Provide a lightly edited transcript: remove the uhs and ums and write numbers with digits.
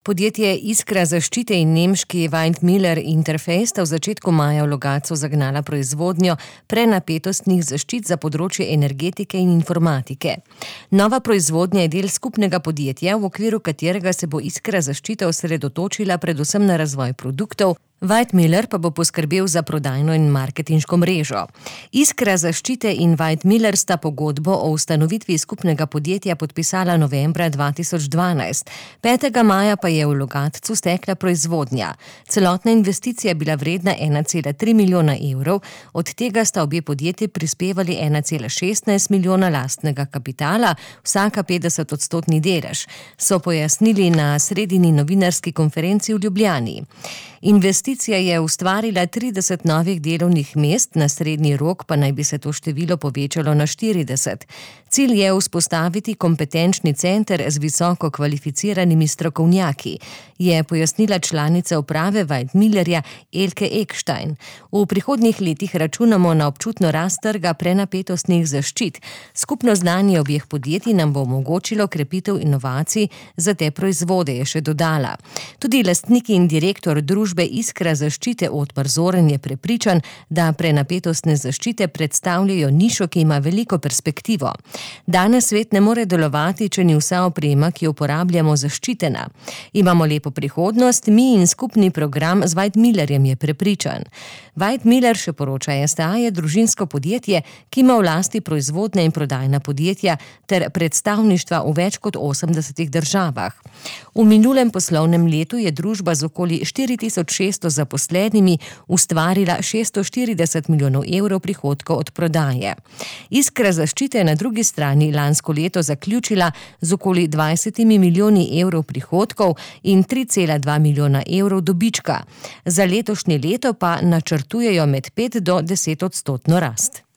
Podjetje Iskra zaščite in nemški Weidmiller Interface sta v začetku maja v Logatcu zagnala proizvodnjo prenapetostnih zaščit za področje energetike in informatike. Nova proizvodnja je del skupnega podjetja, v okviru katerega se bo Iskra zaščite osredotočila predvsem na razvoj produktov, Weidmiller pa bo poskrbel za prodajno in marketinško mrežo. Iskra zaščite in Weidmiller sta pogodbo o ustanovitvi skupnega podjetja podpisala novembra 2012. 5. maja pa je v Logatcu stekla proizvodnja. Celotna investicija je bila vredna 1,3 milijona evrov, od tega sta obe podjetji prispevali 1,16 milijona lastnega kapitala, vsaka 50% delež, so pojasnili na sredini novinarski konferenci v Ljubljani. Investicija je ustvarila 30 novih delovnih mest, na srednji rok pa naj bi se to število povečalo na 40. Cilj je vzpostaviti kompetenčni center z visoko kvalificiranimi strokovnjaki, je pojasnila članica uprave Weidmillerja Elke Ekstein. V prihodnjih letih računamo na občutno rast trga prenapetostnih zaščit. Skupno znanje obeh podjetij nam bo omogočilo krepitev inovacij za te proizvode, je še dodala. Tudi lastnik in direktor družbe Iskra zaščite Otmar Zoren je prepričan, da prenapetostne zaščite predstavljajo nišo, ki ima veliko perspektivo. Danes svet ne more delovati, če ni vsa oprema, ki jo uporabljamo, zaščitena. Imamo lepo prihodnost, mi in skupni program z Weidmillerjem, je prepričan. Weidmiller, še poroča STA, je družinsko podjetje, ki ima v lasti proizvodne in prodajna podjetja ter predstavništva v več kot 80 državah. V minulem poslovnem letu je družba z okoli 4600 zaposlenimi ustvarila 640 milijonov evrov prihodkov od prodaje. Iskra zaščite je na drugi strani lansko leto zaključila z okoli 20 milijoni evrov prihodkov in 3,2 milijona evrov dobička. Za letošnje leto pa načrtujejo med 5 do 10% rast.